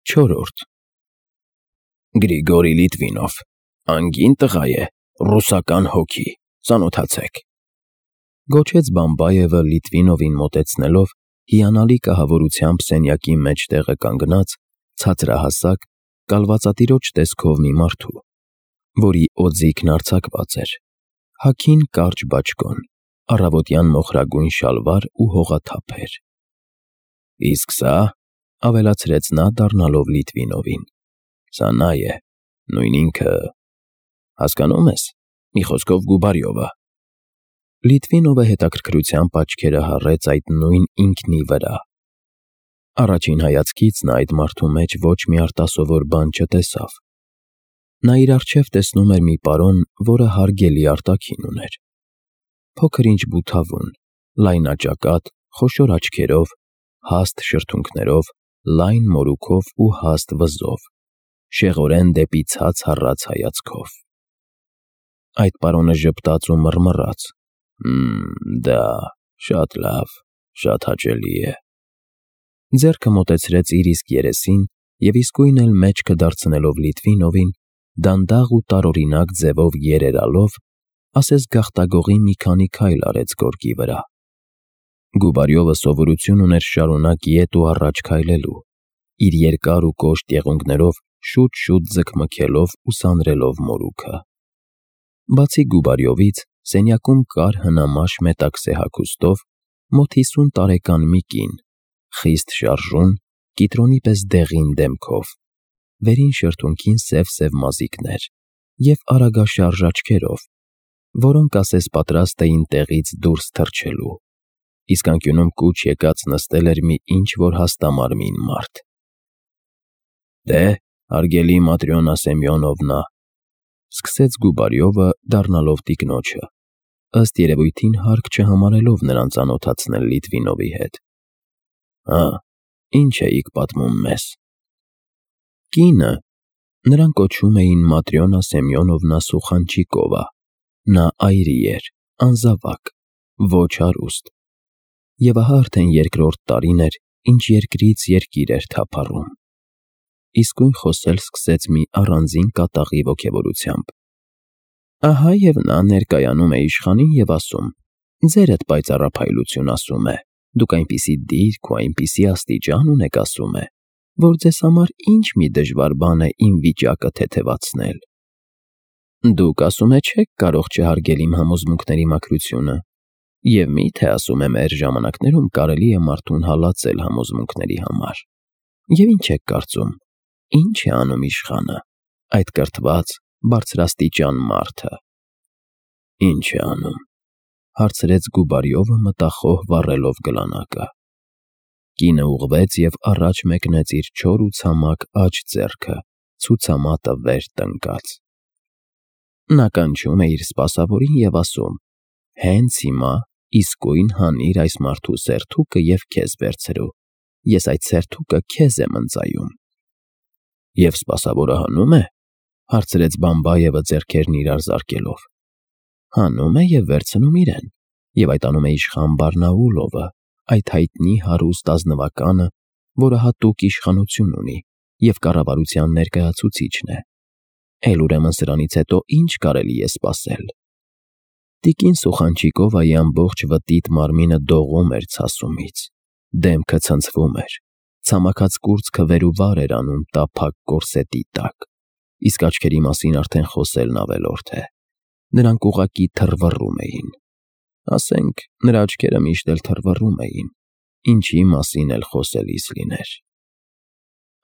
Չորրորդ Գրիգորի Լիտվինով, անգին տղա է, ռուսական հոգի, ծանոթացեք, գոչեց Բամբայևը Լիտվինովին մոտեցնելով, հիանալի կահավորությամբ սենյակի մեջտեղը կանգնած, ցածրահասակ, կալվածատիրոջ տեսքով մի մարդու, որի օձիքն արձակված էր, հագին կարճ բաճկոն, առավոտյան մոխրագույն շալվար ու հողաթափ էր։ Իսկ սա, ավելացրեց նա դառնալով Լիտվինովին, սա նա է, նույն ինքը, հասկանում ես, մի խոսքով Գուբարյովը։ Լիտվինովը հետաքրքրությամբ աչքերը հառեց այդ նույն ինքնի վրա։ Առաջին հայացքից նա այդ մարդու մեջ ոչ մի արտասովոր բան չտեսավ։ Նա իր առջև տեսնում էր մի պարոն, որը հարգելի արտաքին ուներ։ Փոքր-ինչ բութավուն, լայնաճակատ, խոշոր աչքերով, հաստ շրթունքներով, լայն մորուքով ու հաստ վզով, շեղորեն դեպի ցած հառած հայացքով։ Այդ պարոնը ժպտաց ու մռմռաց. Դա շատ լավ, շատ հաճելի է։ Ձեռքը մոտեցրեց իր իսկ երեսին և իսկույն էլ մեջքը դարձնելով Լիտվինովին, դանդաղ ու տարօրինակ ձևով երերալով, ասես գաղտագողի մի քանի քայլ արեց գորգի վրա։ Գուբարյովը սովորություն ուներ շարունակ ետ ու առաջ քայլելու, իր երկար ու կոշտ եղունգներով շուտ-շուտ ձգմքելով ու սանրելով մորուքը։ Բացի Գուբարյովից, սենյակում կար հնամաշ մետաքսե հագուստով, մոտ 50 տարեկան մի կին, խիստ շարժուն, կիտրոնի պես դեղին դեմքով, վերին շրթունքին սև մազիկներ և արագաշարժ աչքերով, որոնք ասես պատրաստ էին տեղից դուրս թռչելու, իսկ անկյունում կուչ եկած նստել էր մի ինչ-որ հաստամարմին մարդ։ Դե, հարգելի Маտրյոնա Սեմյոնովնա, սկսեց Գուբարյովը, դառնալով տիկնոջը, ըստ երևույթին հարկ չհամարելով նրան ծանոթացնել Լիտվինովի հետ։ Հա, ինչ էիք պատմում մեզ։ Կինը, նրան կոչում էին Маտրյոնա Սեմյոնովնա Սուխանչիկովա, նա այրի էր, անզավակ, ոչ հարուստ, և ահա արդեն երկրորդ տարին էր, ինչ երկրից երկիր էր թափառում։ Իսկույն խոսել սկսեց մի առանձին կատաղի ոգևորությամբ։ Ահա և նա ներկայանում է իշխանին և ասում. ձերդ պայծառափայլություն, ասում է, դուք այնպիսի դիրք ու այնպիսի աստիճան ունեք, ասում է, որ ձեզ համար ինչ մի դժվար բան է իմ վիճակը թեթևացնել։ Դուք, ասում է, չեք կարող չհարգել իմ համոզմունքների մաքրությունը, և մի՞թե, ասում է, մեր ժամանակներում կարելի է մարդուն հալածել համոզմունքների համար։ Եվ ինչ եք կարծում, ինչ է անում իշխանը, այդ կրթված, բարձրաստիճան մարդը։ Ինչ է անում, հարցրեց Գուբարյովը մտախոհ վառելով գլանակը։ Կինը ուղղվեց և առաջ մեկնեց իր չոր ու ցամաք աջ ձեռքը, ցուցամատը վեր տնկած։ Նա կանչում է իր սպասավորին և ասում. հենց հիմա իսկույն հանիր այս մարդու սերթուկը և քեզ վերցրու, ես այդ սերթուկը քեզ եմ ընծայում։ Եվ սպասավորը հանում է, հարցրեց Բամբայևը ձեռքերն իրար զարկելով։ Հանում է և վերցնում իրեն, և այդ անում է իշխան Բարնաուլովը, այդ հայտնի հարուստ ազնվականը, որը հատուկ իշխանություն ունի և կառավարության ներկայացուցիչն է։ Էլ ուրեմն սրանից հետո ինչ կարելի է սպասել։ Տիկին Սուխանչիկովայի ամբողջ վտիտ մարմինը դողում էր ցասումից, դեմքը ցնցվում էր, ցամաքած կուրծքը վեր ու վար էր անում տափակ կորսետի տակ, իսկ աչքերի մասին արդեն խոսելն ավելորդ է։ Նրանք ուղղակի թռվռում էին։ Ասենք, նրա աչքերը միշտ էլ թռվռում էին, ինչի մասին էլ խոսելիս լիներ։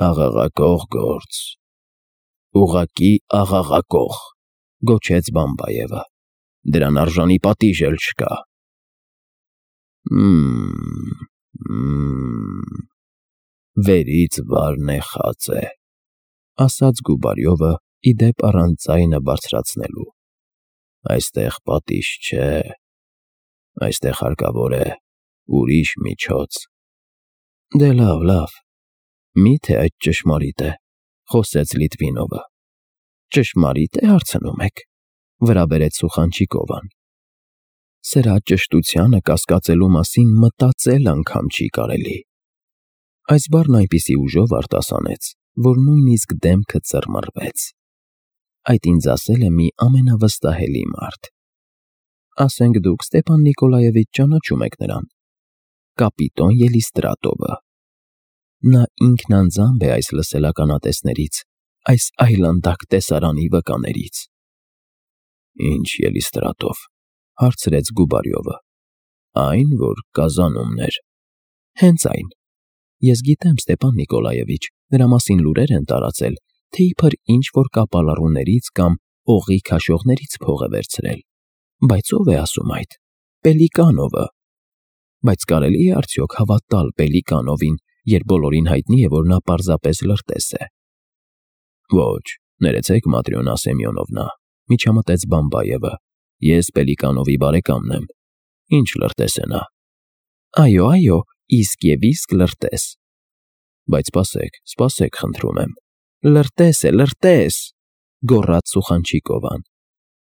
Աղաղակող գործ, ուղղակի աղաղակող, գոչեց Բամբայևը, դրան արժանի պատիժ էլ չկա։ Վերից վար նեխած է, ասաց Գուբարյովը, ի դեպ առանց ձայնը բարձրացնելու։ Այստեղ պատիժ չէ, այստեղ հարկավոր է ուրիշ միջոց։ Դե լավ, մի՞թե այդ ճշմարիտ է, խոսեց Լիտվինովը։ Ճշմարիտ է, հարցնում եք, վրա բերեց Սուխանչիկովան։ Սրա ճշտությանը կասկածելու մասին մտածել անգամ չի կարելի։ Այս բառն այնպիսի ուժով արտասանեց, որ նույնիսկ դեմքը ծռմռվեց։ Այդ ինձ ասել է մի ամենավստահելի մարդ։ Ասենք դուք Ստեփան Նիկոլաևիչ ճանաչում եք նրան։ Կապիտոն Ելիստրատովը։ Նա ինքն անձամբ է այս լսելականատեսներից, այս այլանդակ տեսարանի վկաներից։ Ինչ Ելիստրատով, հարցրեց Գուբարյովը։ Այն, որ Կազանումներ։ Հենց այն։ Ես գիտեմ, Ստեփան Նիկոլաևիչ, նրա մասին լուրեր են տարածել, թե իբր ինչ-որ կապալառուներից կամ օղի քաշողներից փող է վերցրել։ Բայց ով է ասում այդ։ Պելիկանովը։ Բայց կարելի է արդյոք հավատալ Պելիկանովին, երբ բոլորին հայտնի է, որ նա պարզապես լրտես է։ Ոչ, ներեցեք, Մատրյոնա Սեմյոնովնա, միջամտեց Բամբայևը։ Ես Պելիկանովի բարեկամն եմ։ Ինչ լրտես է նա։ Այո, իսկ եւ իսկ լրտես։ Բայց սպասեք, խնդրում եմ։ Լրտես է, լրտես, գոռաց Սուխանչիկովան։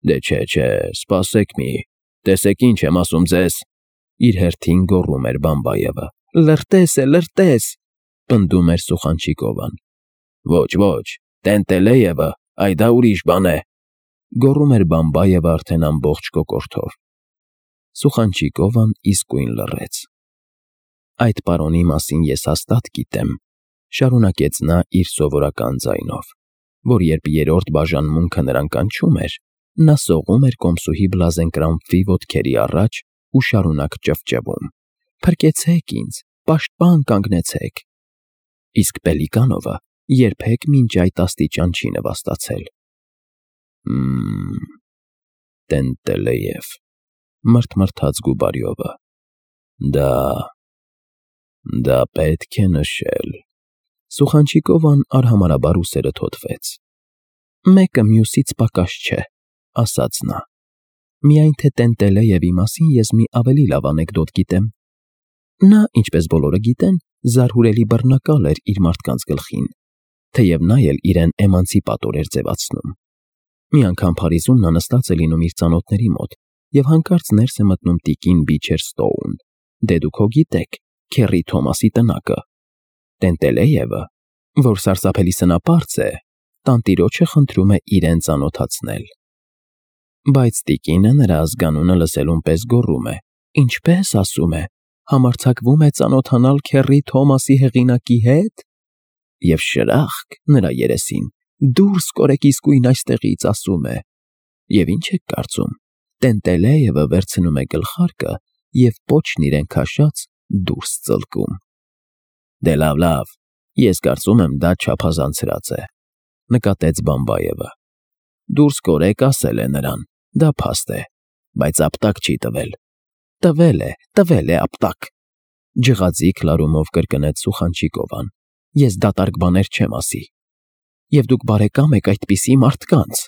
Դե չէ, սպասեք մի, տեսեք ինչ եմ ասում ձեզ, իր հերթին գոռում էր Բամբայևը։ Լրտես է, լրտես, պնդում էր Սուխանչիկովան։ Ոչ, Տենտելեևը, այ դա ուրիշ բան է, գոռում էր Բամբայևը արդեն ամբողջ կոկորդով։ Սուխանչիկովան իսկույն լռեց։ Այդ պարոնի մասին ես հաստատ գիտեմ, շարունակեց նա իր սովորական ձայնով, որ երբ երրորդ բաժանմունքը նրան կանչում էր, նա սողում էր կոմսուհի Բլազենկրամփի ոտքերի առաջ ու շարունակ ճվճվում. Փրկեցեք ինձ, պաշտպան կանգնեցեք։ Իսկ Պելիկանովը երբեք մինչ այդ աստիճան չի նվաստացել։ Տենտելեև, մրթմրթաց Գուբարյովը։ Դա պետք է նշել։ Սուխանչիկովան արհամարհաբար ուսերը թոթվեց։ Մեկը մյուսից պակաս չէ, ասաց նա։ Միայն թե Տենտելեևի մասին ես մի ավելի լավ անեկդոտ գիտեմ։ Նա, ինչպես բոլորը գիտեն, զարհուրելի բռնակալ էր իր մարդկանց գլխին, թեև նա էլ իրեն էմանցիպատոր էր ձևացնում։ Մի անգամ Փարիզում նա նստած է լինում իր ծանոթների մոտ և հանկարծ ներս է մտնում տիկին Բիչեր Ստոուն, դե դուք հո գիտեք, Քերի Թոմասի տնակը։ Տենտելեևը, որ սարսափելի սնապարծ է, տանտիրոջը խնդրում է իրեն ծանոթացնել։ Բայց տիկինը նրա ազգանունը լսելուն պես գոռում է. Ինչպես ասում է, համարձակվում է ծանոթանալ Քերի Թոմասի հեղինակի հետ։ Եվ շրախկ նրա երեսին, դուրս կորեք իսկույն այստեղից, ասում է։ Եվ ինչ եք կարծում, Տենտելեևը վերցնում է գլխարկը և պոչն իրեն քաշած դուրս ծլկում։ Դե լավ, ես կարծում եմ դա չափազանցրած է, նկատեց Բամբայևը։ Դուրս կորեք ասել է նրան, դա փաստ է, բայց ապտակ չի տվել։ Տվել է ապտակ, ջղաձիգ լարումով կրկնեց Սուխանչիկովան։ Ես դատարկ բաներ չեմ ասի։ Եվ դուք բարեկամ եք այդպիսի մարդկանց։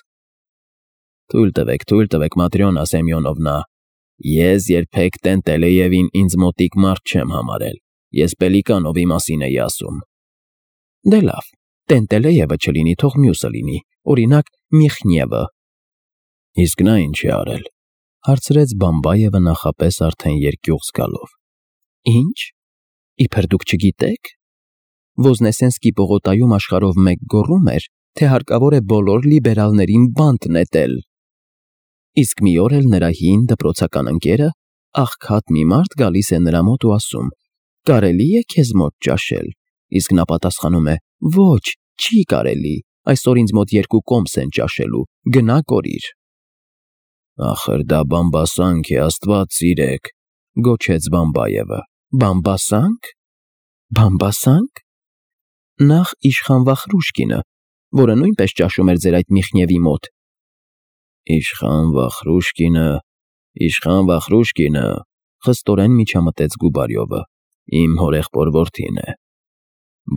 Թույլ տվեք, Մատրյոնա Սեմյոնովնա, ես երբեք Տենտելեևին ինձ մոտիկ մարդ չեմ համարել, ես Պելիկանովի մասին էի ասում։ Դե լավ, Տենտելեևը չլինի, թող մյուսը լինի, օրինակ Միխնևը։ Իսկ նա ինչ է արել, հարցրեց Բամբայևը նախապես արդեն երկյուղ զգալով։ Ինչ, իբր դուք չգիտեք։ Ոզնեսենսկի պողոտայում աշխարհով մեկ գոռում էր, թե հարկավոր է բոլոր լիբերալներին բանտ նետել։ Իսկ մի օր էլ նրա հին դպրոցական ընկերը, աղքատ մի մարդ գալիս է նրա մոտ ու ասում. կարելի է քեզ մոտ ճաշել, իսկ նա պատասխանում է. ոչ, չի կարելի, այսօր ինձ մոտ 2 կոմս են ճաշելու, գնա կորիր։ Ախր դա բամբասանք է, Աստված սիրեք, գոչեց Բամբայևը։ Բամբասանք։ Նախ իշխան Վախրուշկինը, որը նույնպես ճաշում էր ձեր այդ Միխնևի մոտ։ Իշխան Վախրուշկինը, խստորեն միջամտեց Գուբարյովը, իմ հորեղբոր որդին է,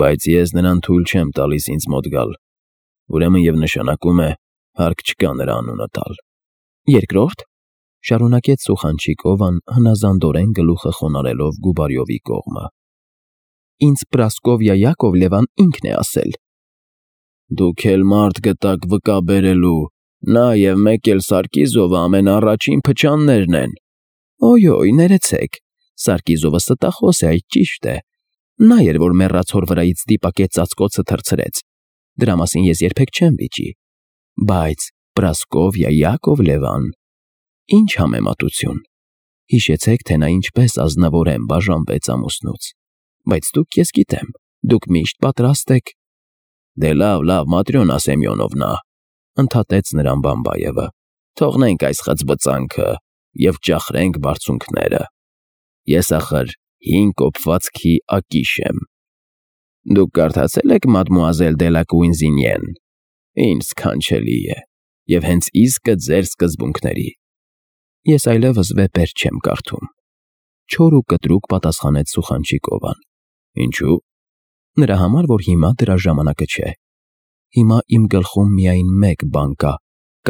բայց ես նրան թույլ չեմ տալիս ինձ մոտ գալ, ուրեմն և նշանակում է, հարկ չկա նրա անունը տալ։ Երկրորդ, շարունակեց Սուխանչիկովան հնազանդորեն գլուխը խոնարհելով Գուբարյովի կողմը։ Ինձ Պրասկովիա Յակովլևան ինքն է ասել։ Դուք էլ մարդ գտաք վկա բերելու, նա և մեկ էլ Սարկիզովը ամենաառաջին փչաններն են։ Օյ, ներեցեք, Սարկիզովը ստախոս է, այդ ճիշտ է։ Նա էր, որ մեռած հոր վրայից դիպակեց ծածկոցը թռցրեց, Դրա մասին ես երբեք չեմ վիճի։ Բայց Պրասկովիա Յակովլևան, ինչ համեմատություն։ Հիշեցեք, թե նա ինչպես ազնվորեն բաժանվեց ամուսնուց։ Բայց դուք, ես գիտեմ, դուք միշտ պատրաստ եք։ Դե լավ, Маտրյոնա Սեմյոնովնա, ընդհատեց նրան Բամբայևը։ Թողնենք այս խծբծանքը և ճախրենք բարձունքները։ Ես ախր 5 կոպվածքի ակիշ եմ։ Դուք կարդացել եք Մադմուազել դե լա Կուինզինիեն։ Ինչ սքանչելի է, և հենց իսկը ձեր սկզբունքների։ Ես այլևս վեպեր չեմ կարդում։ Չոր ու կտրուկ պատասխանեց Սուխանչիկովան։ Ինչու՞։ Նրա համար, որ հիմա դրա ժամանակը չէ։ Հիմա իմ գլխում միայն մեկ բան կա՝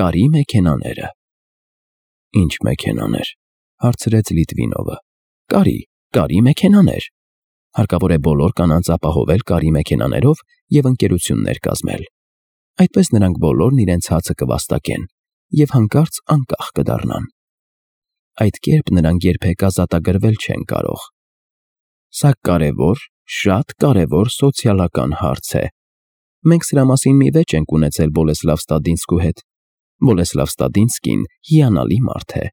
կարի մեքենաները։ Ինչ մեքենաներ, հարցրեց Լիտվինովը։ Կարի մեքենաներ։ Հարկավոր է բոլոր կանանց ապահովել կարի մեքենաներով և ընկերություններ կազմել։ Այդպես նրանք բոլորն իրենց հացը կվաստակեն և հանկարծ անկախ կդառնան։ Այդ կերպ նրանք երբեք ազատագրվել չեն կարող։ Սա կարևոր, շատ կարևոր սոցիալական հարց է։ Մենք սրա մասին մի վեճ ենք ունեցել Բոլեսլավ Ստադինսկու հետ։ Բոլեսլավ Ստադինսկին հիանալի մարդ է,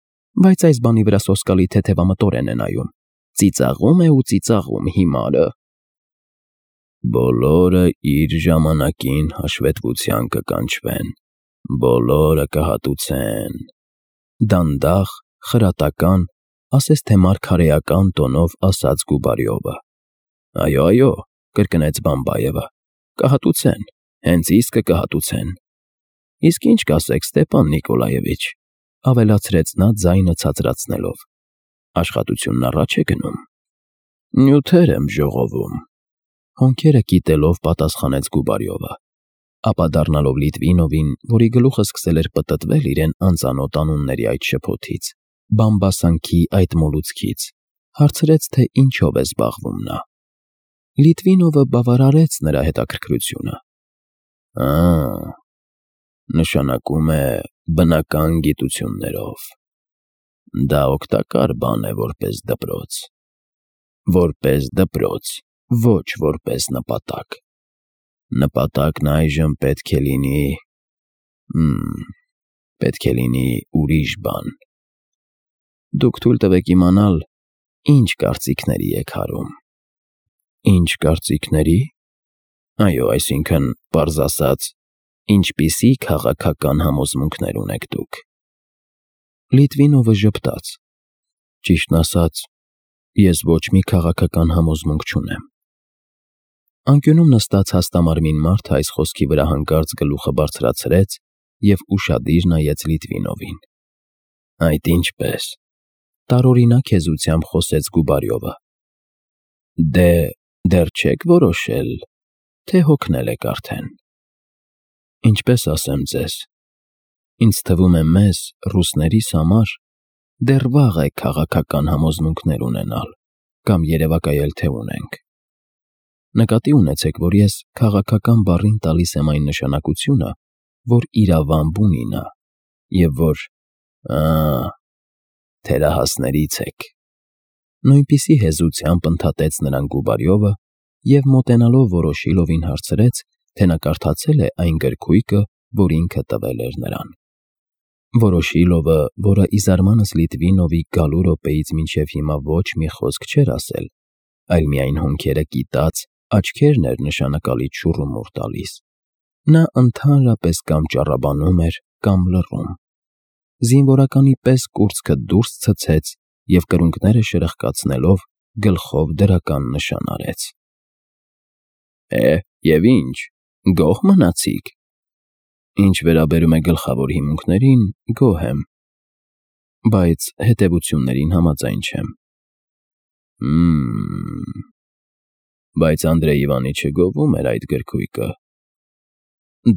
բայց այս բանի վրա սոսկալի թեթևամտորեն է նայում։ Ծիծաղում է ու ծիծաղում հիմարը։ Բոլորը իր ժամանակին հաշվետվության կկանչվեն, բոլորը կհատուցեն։ Դանդաղ, խրատական, ասես թե մարգարեական տոնով ասաց Գուբարյովը։ Այո, կրկնեց Բամբայևը, կհատուցեն, հենց իսկը կհատուցեն։ Իսկ ինչ կասեք, Ստեպան Նիկոլաևիչ, ավելացրեց նա ձայնը ցածրացնելով։ Աշխատությունն առաջ է գնում։ Նյութեր եմ ժողովում։ Հոնքերը կիտելով պատասխանեց Գուբարյովը, ապա դառնալով Լիտվինովին, որի գլուխը սկսել էր պտտվել իրեն անծանոթ անունների այդ շփոթից, բամբասանքի այդ մոլուցքից, հարցրեց, թե ինչով է զբաղվում նա։ Լիտվինովը բավարարեց նրա հետաքրքրությունը։ Նշանակում է բնական գիտություններով։ Դա օգտակար բան է որպես դպրոց։ Որպես դպրոց, ոչ որպես նպատակ։ Նպատակն այժմ պետք է լինի ուրիշ բան։ Դուք թույլ տվեք իմանալ, ինչ կարծիքների եք հարում։ Ինչ կարծիքների։ Այո, այսինքն, պարզ ասած, ինչպիսի քաղաքական համոզմունքներ ունեք դուք։ Լիտվինովը ժպտաց։ Ճիշտն ասած, ես ոչ մի քաղաքական համոզմունք չունեմ։ Անկյունում նստած հաստամարմին մարդը այս խոսքի վրա հանկարծ գլուխը բարձրացրեց և ուշադիր նայեց Լիտվինովին։ Այդ ինչպես։ Տարօրինակ հեզությամբ խոսեց Գուբարյովը։ Դեռ չեք որոշել, թե հոգնել եք արդեն։ Ինչպես ասեմ ձեզ, ինձ թվում է մեզ, ռուսներիս համար, դեռ վաղ է քաղաքական համոզմունքներ ունենալ կամ երևակայել, թե ունենք։ Նկատի ունեցեք, որ ես քաղաքական բառին տալիս եմ այն նշանակությունը, որ իրավամբ ունի նա, և որ թերահասներից եք։ Նույնպիսի հեզությամբ ընդհատեց նրան Գուբարյովը և մոտենալով Վորոշիլովին հարցրեց, թե նա կարդացել է այն գրքույկը, որ ինքը տվել էր նրան։ Վորոշիլովը, որը ի զարմանս Լիտվինովի գալու րոպեից մինչև հիմա ոչ մի խոսք չէր ասել, այլ միայն հոնքերը կիտած, աչքերն էր նշանակալի չուռումուռ տալիս, նա ընդհանրապես կամ ճառաբանում էր, կամ լռում։ Զինվորականի պես կուրծքը դուրս ցցեց և կրունկները շրխկացնելով գլխով դրական նշան արեց։ Եվ ինչ, գոհ մնացի՞ք։ Ինչ վերաբերում է գլխավոր հիմունքներին, գոհ եմ, բայց հետևություններին համաձայն չեմ։ Բայց Անդրեյ Իվանիչը գովում էր այդ գրքույկը։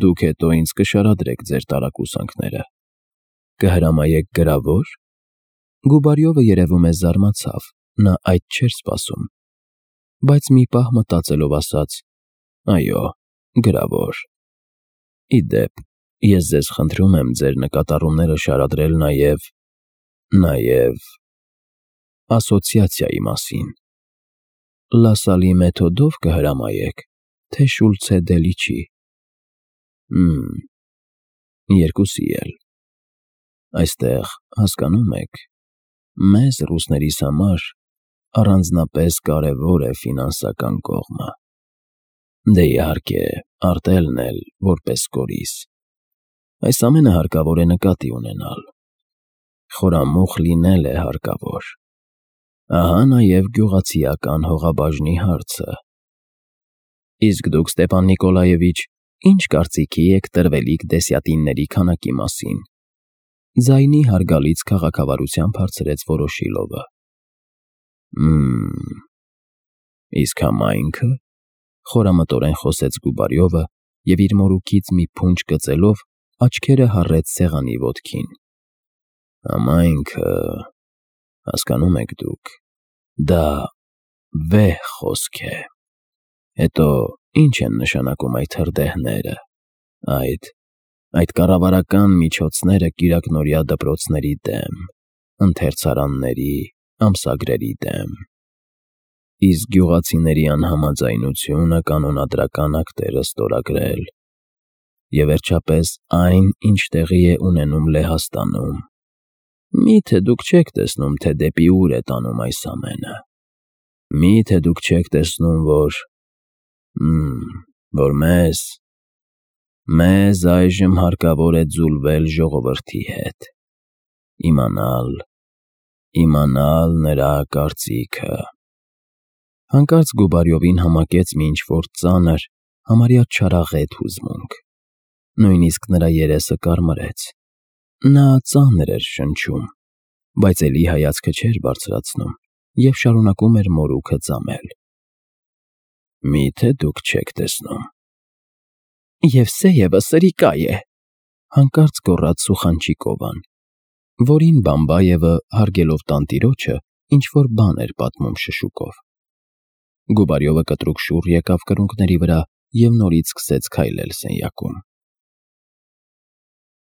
Դուք հետո ինձ կշարադրեք ձեր տարակուսանքները։ Կհրամայեք գրավոր։ Գուբարյովը երևում է զարմացավ, նա այդ չէր սպասում, բայց մի պահ մտածելով ասաց. Այո, գրավոր։ Ի դեպ, ես ձեզ խնդրում եմ ձեր նկատառումները շարադրել նաև ասոցիացիայի մասին։ Լասալի մեթոդով կհրամայեք, թե Շուլցե Դելիչի։ Երկուսի էլ։ Այստեղ, հասկանում եք, մեզ ռուսներիս համար առանձնապես կարևոր է ֆինանսական կողմը։ Դե իհարկե, արտելն էլ որպես կորիզ։ Այս ամենը հարկավոր է նկատի ունենալ։ Խորամուխ լինել է հարկավոր։ Ահա նաև գյուղացիական հողաբաժնի հարցը։ Իսկ դուք, Ստեպան Նիկոլաևիչ, ինչ կարծիքի եք տրվելիք դեսյատինների քանակի մասին։ Ձայնի հարգալից քաղաքավարությամբ հարցրեց Վորոշիլովը։ Իսկ համայնքը, խորամտորեն խոսեց Գուբարյովը և իր մորուքից մի փունջ կծելով աչքերը հառեց սեղանի ոտքին։ Համայնքը, հասկանում եք դուք, դա վեհ խոսք է։ Հետո ինչ են նշանակում այդ հրդեհները, այդ կառավարական միջոցները կիրակնօրյա դպրոցների դեմ, ընթերցարանների, ամսագրերի դեմ։ Իսկ գյուղացիների անհամաձայնությունը կանոնադրական ակտերը ստորագրել։ Եվ վերջապես այն, ինչ տեղի է ունենում Լեհաստանում։ Մի՞թե դուք չեք տեսնում, թե դեպի ուր է տանում այս ամենը։ Մի՞թե դուք չեք տեսնում, որ մեզ այժմ հարկավոր է ձուլվել ժողովրդի հետ, իմանալ նրա կարծիքը։ Հանկարծ Գուբարյովին համակեց մի ինչ-որ ծանր, համարյա չարաղետ հուզմունք։ Նույնիսկ նրա երեսը կարմրեց։ Նա ծանր էր շնչում, բայց էլի հայացքը չէր բարձրացնում և շարունակում էր մորուքը ծամել։ Մի՞թե դուք չեք տեսնում։ Եվսեևը սրիկա է, հանկարծ գոռաց Սուխանչիկովան, որին Բամբայևը, հարգելով տանտիրոջը, ինչ-որ բան էր պատմում շշուկով։ Գուբարյովը կտրուկ շուռ եկավ կրունկների վրա և նորից սկսեց քայլել սենյակում։